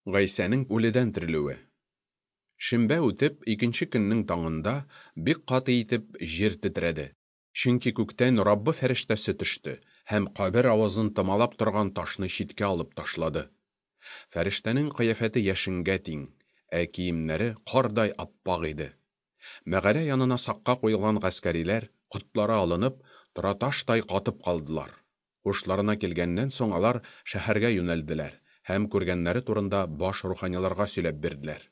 Гайсәнең үледән терелүе. Шимбә үтеп, икенче көннең таңында бик каты итеп җир тетрәде. Чөнки күктән Раббы фәрештәсе төште һәм кабер авызын томалап торган ташны читкә алып ташлады. Фәрештәнең кыяфәте яшенгә тиң, ә киемнәре кардай аппак иде. Мәгарә янына сакка куелган гаскәриләр, котлары алынып, тораташтай катып калдылар. Һушларына килгәннән соң алар шәһәргә юнәлделәр һәм күргәннәре турында баш руханиларга сөйләп бирделәр.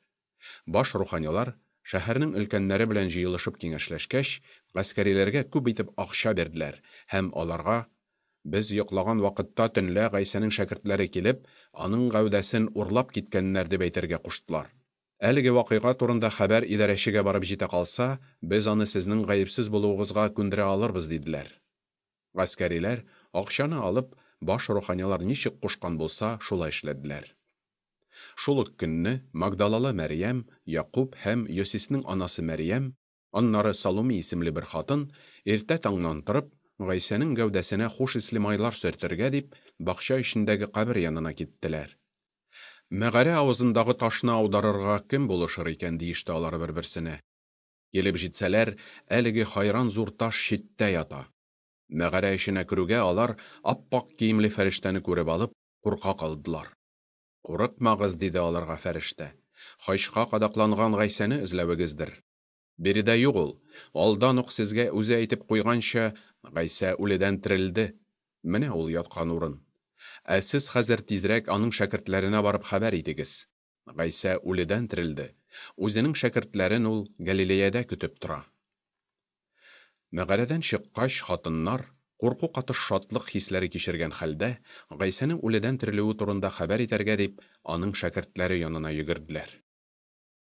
Баш руханилар, шәһәрнең өлкәннәре белән җыелышып киңәшләшкәч, гаскәриләргә күп итеп акча бирделәр һәм аларга: Без йоклаган вакытта төнлә Гайсәнең шәкертләре килеп, аның гәүдәсен урлап киткәннәр, дип әйтергә куштылар. Әлеге вакыйга турында хәбәр идарәчегә барып җитә калса, без аны сезнең гаепсез булуыгызга күндерә алырбыз, диделәр. Гаскәриләр, акчаны алып, баш руханилар ничек кушкан булса, шулай эшләделәр. Шул ук көнне Магдалалы Мәрьям, Якуб һәм Йосиснең анасы Мәрьям, аннары Салуми исемле бер хатын, иртә таңнан торып, Гайсәнең гәүдәсенә хуш исле майлар сөртергә дип, бакча эчендәге кабер янына киттеләр. Мәгарә авызындагы ташны аударырга кем булышыр икән, диеште алар бер-берсенә. Килеп җитсәләр, әлеге хайран зур таш читтә ята. Мәгарә эченә керүгә алар ап-ак киемле фәрештәне күреп алып, курка калдылар. Курыкмагыз, диде аларга фәрештә. Хачка кадакланган Гайсәне эзләвегездер. Биредә юк ул. Алдан ук сезгә үзе әйтеп куйганча, Гайсә үледән терелде. Менә ул яткан урын. Ә сез хәзер тизрәк аның шәкертләренә барып хәбәр итегез. Гайсә үледән терелде. Үзенең шәкертләрен ул Галилеядә көтеп тора. Мәгарәдән чыккач, хатыннар, курку катыш шатлык хисләре кичергән хәлдә, Гайсәнең үледән терелүе турында хәбәр итәргә дип, аның шәкертләре янына йөгерделәр.